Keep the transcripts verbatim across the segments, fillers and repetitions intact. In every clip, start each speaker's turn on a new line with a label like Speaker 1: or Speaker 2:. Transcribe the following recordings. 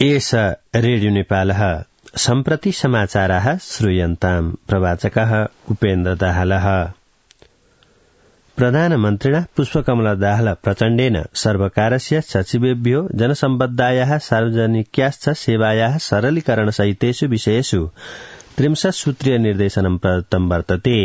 Speaker 1: एष रेडियो नेपालः सम्प्रति समाचाराः श्रूयन्ताम् प्रवाचकः उपेन्द्र दाहालः। प्रधानमन्त्रिणा पुष्पकमल दाहाल प्रचण्डेन सर्वकारस्य सचिवेभ्यो जनसम्बद्धायाः सार्वजनिक्याश्च सेवायाः सरलीकरणसहितेषु विषयेषु त्रिंशत् सूत्रीय निर्देशनं प्रदत्तं वर्तते।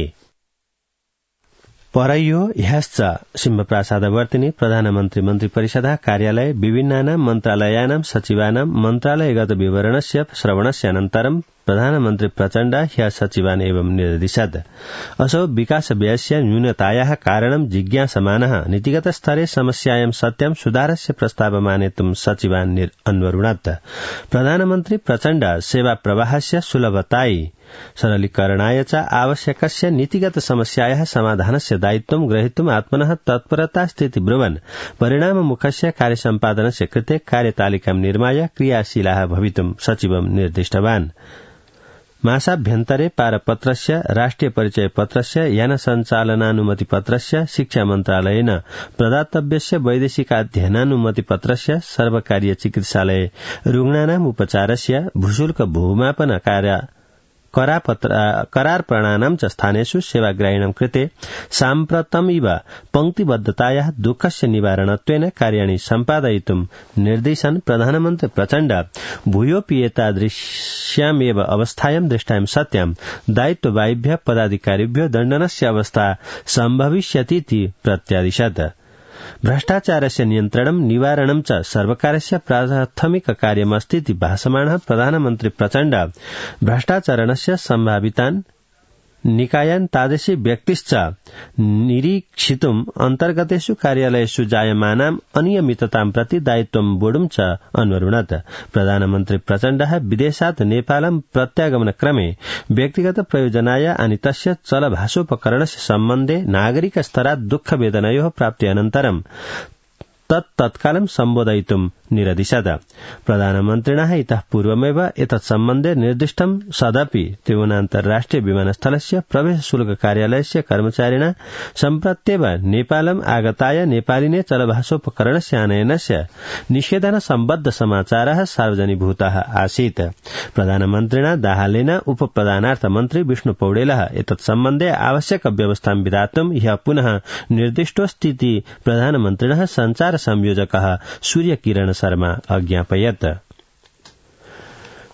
Speaker 1: परयो ह्यश्च सिंहप्रासादवर्तिनि प्रधानमन्त्री मन्त्रिपरिषदः कार्यालये विभिन्नानां मन्त्रालयानां सचिवानां मन्त्रालयगत विवरणस्य श्रवणस्य अनन्तरं प्रधानमन्त्री प्रचण्ड ह्यः सचिवान् एवं निर्दिशत्। असौ विकासव्ययस्य न्यूनतायाः कारणं जिज्ञासमानः नीतिगत स्तरे समस्यायां सत्यं सुधारस्य प्रस्तावमानेतुं सचिवान् अन्वरुणत्। प्रधानमन्त्री प्रचण्ड सेवा प्रवाहस्य सुलभतायै सरलीकरणाय च आवश्यकस्य नीतिगत समस्यायाः समाधानस्य दायित्वं ग्रहीतुम् आत्मनः तत्परता स्थिति ब्रुवन् परिणाममुखस्य कार्यसम्पादनस्य कृते कार्यतालिकां निर्माय क्रियाशीलाः भवितुं सचिवं निर्दिष्टवान्। मासाभ्यन्तरे पारपत्रस्य राष्ट्रिय परिचय पत्रस्य यान सञ्चालनानुमति पत्रस्य शिक्षा मन्त्रालयेन प्रदातव्यस्य वैदेशिकाध्ययनानुमति पत्रस्य सर्वकारीय चिकित्सालय रुग्णानाम् उपचारस्य भूशुल्क भूमापन कार्य करार प्रणानां च स्थानेषु सेवाग्राहिणां कृते साम्प्रतमिव पंक्तिबद्धतायाः दुःखस्य निवारणत्वेन कार्याणि सम्पादयितुं निर्देशन् प्रधानमन्त्री प्रचण्ड भूयोऽपि एतादृश्यामेव अवस्थायां दृष्टायां सत्यां दायित्ववाहिभ्यः पदाधिकारिभ्यो दण्डनस्य अवस्था सम्भविष्यतीति प्रत्यादिशत्। भ्रष्टाचारस्य नियन्त्रणं निवारणं च सर्वकारस्य प्राथमिक कार्यमस्तीति भाषमाणः प्रधानमन्त्री प्रचण्ड भ्रष्टाचरणस्य सम्भावितान् निकायान् तादृशी व्यक्तिश्च निरीक्षितुम् अन्तर्गतेषु कार्यालयेषु जायमानाम् अनियमिततां प्रति दायित्वं वोढुं च अन्वरुणत्। प्रधानमन्त्री प्रचण्डः विदेशात् नेपालं प्रत्यागमनक्रमे व्यक्तिगत प्रयोजनाय आनीतस्य चलभाषोपकरणस्य सम्बन्धे नागरिक स्तरात् दुःखवेदनयोः प्राप्ति अनन्तरं तत् तत्कालं सम्बोधयितुं निरदिशत्। प्रधानमन्त्रिणः इतः पूर्वमेव एतत् सम्बन्धे निर्दिष्टं सदपि त्रिभुवनान्तर्राष्ट्रिय विमानस्थलस्य प्रवेश शुल्क कार्यालयस्य कर्मचारिणा सम्प्रत्येव नेपालम् आगताय नेपालिने चलभाषोपकरणस्य आनयनस्य निषेधन सम्बद्ध समाचारः सार्वजनीभूतः आसीत्। प्रधानमन्त्रिणा दाहालेन उपप्रधानार्थ मन्त्री विष्णु पौडेलः एतत् सम्बन्धे आवश्यक व्यवस्थां विधातुं ह्यः पुनः निर्दिष्टोऽस्तीति प्रधानमन्त्रिणः सञ्चार संयोजकः सूर्यकिरण शर्मा अज्ञापयत्।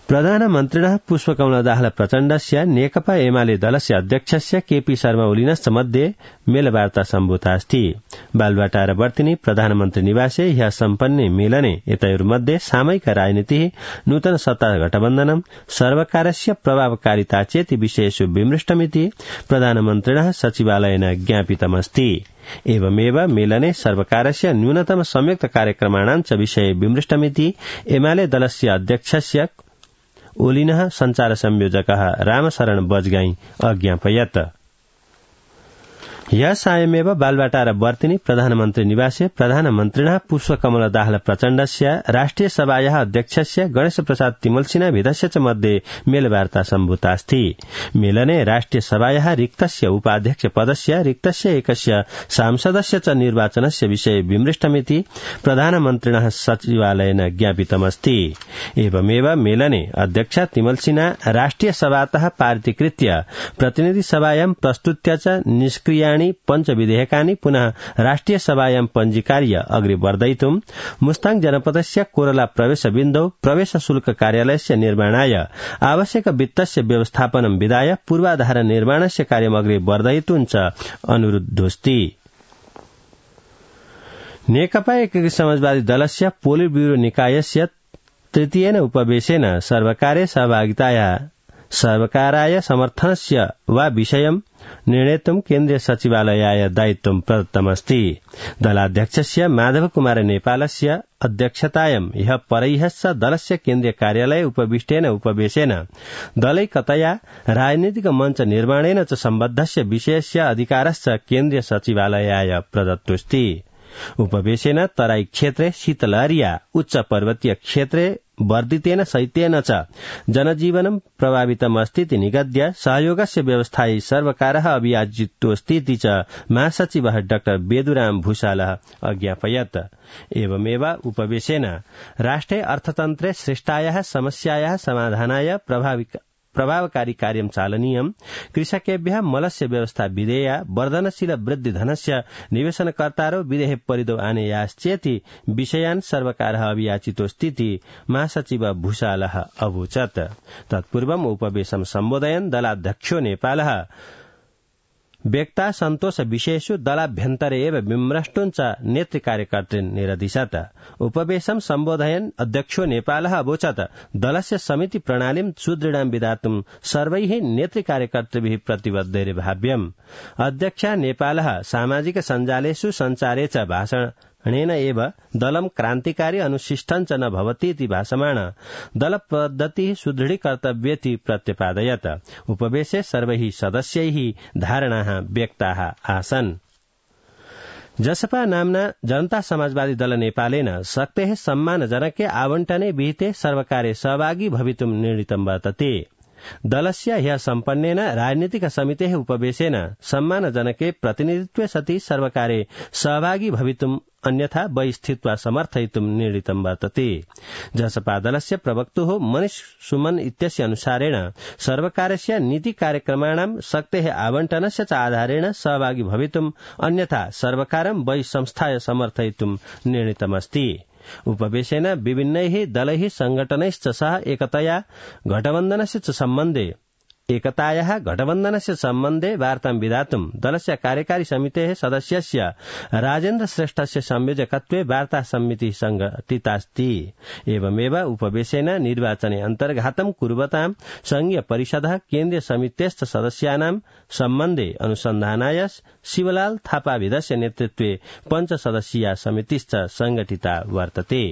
Speaker 1: प्रधानमन्त्रिणः पुष्पकमल दाहाल प्रचण्डस्य नेकपा एमाले दलस्य अध्यक्षस्य केपी शर्मा ओलीनश्च मध्ये मेलवार्ता सम्भूतास्ति। बालुवाटारवर्तिनि प्रधानमन्त्री निवासे ह्यः सम्पन्ने मेलने एतयोर्मध्ये सामयिक राजनीतिः नूतन सत्ता गठबन्धनं सर्वकारस्य प्रभावकारिता चेति विषयेषु विमृष्टमिति प्रधानमन्त्रिणः सचिवालयेन ज्ञापितमस्ति। एवमेव मेलने सर्वकारस्य न्यूनतम संयुक्त कार्यक्रमाणां च विषये विमृष्टमिति एमाले दलस्य अध्यक्षस्य ओलिनः सञ्चार संयोजकः रामशरण बजगाई अज्ञापयत्। ह्यः सायमेव बालुवाटारवर्तिनि प्रधानमन्त्री निवासे प्रधानमन्त्रिणः पुष्पकमल दाहाल प्रचण्डस्य राष्ट्रिय सभायाः अध्यक्षस्य गणेश प्रसाद तिमल्सिना भेदस्य च मध्ये मेलवार्ता सम्भूतास्ति। मेलने राष्ट्रिय सभायाः रिक्तस्य उपाध्यक्ष पदस्य रिक्तस्य एकस्य सांसदस्य च निर्वाचनस्य विषये विमृष्टमिति प्रधानमन्त्रिणः सचिवालयेन ज्ञापितमस्ति। एवमेव मेलने अध्यक्ष तिमल्सिना राष्ट्रिय सभातः पारितीकृत्य प्रतिनिधि सभायां प्रस्तुत्य च निष्क्रिया पंच विधेयकानि पुनः राष्ट्रिय सभायां पञ्जीकार्य अग्रे वर्धयितुं मुस्ताङ जनपदस्य कोरला प्रवेश बिन्दौ प्रवेश शुल्क कार्यालयस्य निर्माणाय आवश्यक वित्तस्य व्यवस्थापनं विधाय पूर्वाधार निर्माणस्य कार्यम् अग्रे वर्धयितुं च अनुरुद्धोऽस्ति। नेकपा एकीकृत समाजवादी दलस्य पोलिट ब्यूरो निकायस्य तृतीयेन उपवेशेन सर्वकारे सहभागिताया सर्वकाराय समर्थनस्य वा विषयं निर्णेतुं केन्द्रीय सचिवालयाय दायित्वं प्रदत्तमस्ति। दलाध्यक्षस्य माधव कुमार नेपालस्य अध्यक्षतायां ह्यः परह्यश्च दलस्य केन्द्रीय कार्यालये उपविष्टेन उपवेशेन दलैकतया राजनीतिक मञ्च निर्माणेन च सम्बद्धस्य विषयस्य अधिकारश्च केन्द्रीय सचिवालयाय प्रदत्तोऽस्ति। उपवेशेन तराई क्षेत्रे शीतलहरिया उच्च पर्वतीय क्षेत्रे वर्धितेन शैत्येन च जनजीवनं प्रभावितमस्तीति निगद्य सहयोगस्य व्यवस्थायै सर्वकारः अभियाचितोऽस्तीति च महासचिवः डाक्टर बेदुराम भूषालः अज्ञापयत्। एवमेव उपवेशेन राष्ट्रे अर्थतन्त्रे सृष्टायाः समस्यायाः समाधानाय प्रभाविक प्रभावकारी कार्यं चालनीयम्, कृषकेभ्यः मलस्य व्यवस्था विधेया, वर्धनशील वृद्धि धनस्य निवेशनकर्तारो विदेह परिदो आनेयाश्चेति विषयान् सर्वकारः अभियाचितोऽस्तीति महासचिव भूषालः अवोचत्। तत्पूर्वम् उपवेशं सम्बोधयन् दलाध्यक्षो नेपालः व्यक्ता सन्तोष विषयेषु दलाभ्यन्तरे एव विमृष्टुञ्च नेतृकार्यकर्तॄन् निरदिशत्। उपवेशं सम्बोधयन् अध्यक्षो नेपालः अवोचत् दलस्य समिति प्रणालीं सुदृढां विधातुं सर्वैः नेतृकार्यकर्तृभिः प्रतिबद्धैर्भाव्यम्। अध्यक्षा नेपालः सामाजिक सञ्जालेषु सञ्चारे च भाषण णेन एव दलं क्रान्तिकारी अनुशिष्टञ्च न भवतीति भाषमाण दल पद्धतिः सुदृढीकर्तव्येति प्रत्यपादयत्। उपवेशे सर्वैः सदस्यैः धारणाः व्यक्ताः आसन्। जसपा नाम्ना जनता समाजवादी दल नेपालेन शक्तेः सम्मानजनके आवण्टने विहिते सर्वकारे सहभागी भवितुं निर्णीतं वर्तते। दलस्य ह्यः सम्पन्नेन राजनीतिक समितेः उपवेशेन सम्मानजनके प्रतिनिधित्वे सति सर्वकारे सहभागी भवितुम् अन्यथा बहि स्थित्वा समर्थयितुं निर्णीतं वर्तते। जसपा दलस्य प्रवक्तुः मनीष सुमन इत्यस्य अनुसारेण सर्वकारस्य नीति कार्यक्रमाणां शक्तेः आवण्टनस्य च आधारेण सहभागी भवितुम् अन्यथा सर्वकारं बहि संस्थाय समर्थयितुं निर्णीतमस्ति। उपवेशेन विभिन्नैः दलैः संघटनैश्च सह एकतया घटबन्धनस्य च सम्बन्धे एकतायाः घटबन्धनस्य सम्बन्धे वार्तां विधातुं दलस्य कार्यकारी समितेः सदस्यस्य राजेन्द्र श्रेष्ठस्य संयोजकत्वे वार्ता समितिः संघटितास्ति। एवमेव उपवेशेन निर्वाचने अन्तर्घातं कुर्वतां संघीय परिषदः केन्द्रीय समितेश्च सदस्यानां सम्बन्धे अनुसन्धानाय शिवलाल थापाविधस्य नेतृत्वे पञ्चसदस्यीया समितिश्च संघटिता वर्तते।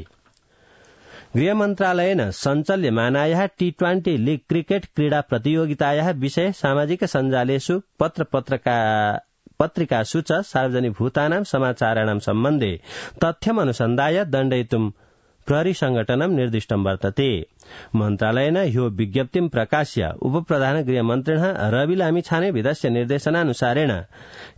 Speaker 1: गृहमन्त्रालयेन सञ्चाल्यमानायाः टी ट्वेन्टी लीग क्रिकेट क्रीडा प्रतियोगितायाः विषये सामाजिक सञ्जालेषु पत्र पत्रिकासु च सार्वजनिकभूतानां समाचाराणां सम्बन्धे तथ्यम् अनुसन्धाय दण्डयितुं प्रहरी संघटनं निर्दिष्टं वर्तते। मन्त्रालयेन ह्यो विज्ञप्तिं प्रकाश्य उपप्रधान गृहमन्त्रिणः रवि लामिछाने विधस्य निर्देशनानुसारेण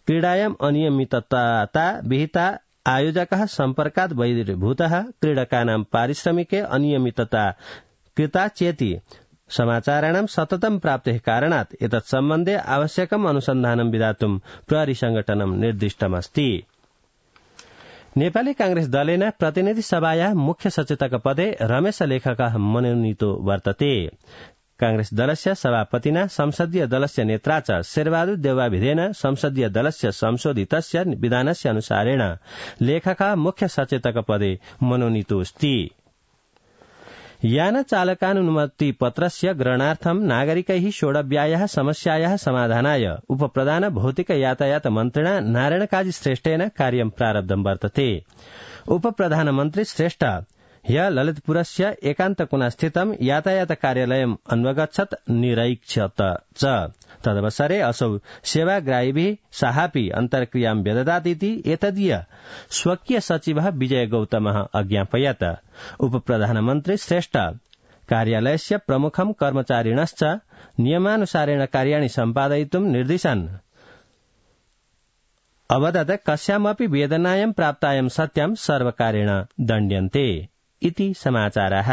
Speaker 1: क्रीडायाम् अनियमितता विहिता आयोजकः सम्पर्कात् बहिर्भूतः क्रीडकानां पारिश्रमिके अनियमितता कृता चेति समाचाराणां सततं प्राप्तेः कारणात् एतत् सम्बन्धे आवश्यकम् अनुसन्धानं विधातुं प्रहरी संघटनं निर्दिष्टमस्ति। नेपाली कांग्रेस दलेन प्रतिनिधि सभायाः मुख्य सचेतक पदे रमेश लेखकः मनोनीतो वर्तते। कांग्रेस दलस्य सभापतिना संसदीय दलस्य नेत्रा च शेरबहादुर देउवाभिधेन संसदीय दलस्य संशोधितस्य विधानस्य अनुसारेण लेखकः मुख्य सचेतक पदे मनोनीतोऽस्ति। यान चालकानुमति पत्रस्य ग्रहणार्थं नागरिकैः सोढव्यायाः समस्यायाः समाधानाय उपप्रधान भौतिक यातायात मन्त्रिणा नारायण काजी श्रेष्ठेन कार्यं प्रारब्धं वर्तते। उपप्रधानमन्त्री श्रेष्ठ ह्यः ललितपुरस्य एकान्तकुना स्थितं यातायात कार्यालयम् अन्वगच्छत् निरीक्षत च। तदवसरे असौ सेवाग्राहिभिः साहापि अन्तर्क्रियां व्यददात् इति एतदीय स्वकीय सचिवः विजय गौतमः अज्ञापयत्। उपप्रधानमन्त्री श्रेष्ठ कार्यालयस्य प्रमुखं कर्मचारिणश्च नियमानुसारेण कार्याणि सम्पादयितुं निर्दिशन् अवदत् कस्यामपि वेदनायां प्राप्तायां सत्यां सर्वकारेण दण्ड्यन्ते इति समाचाराः।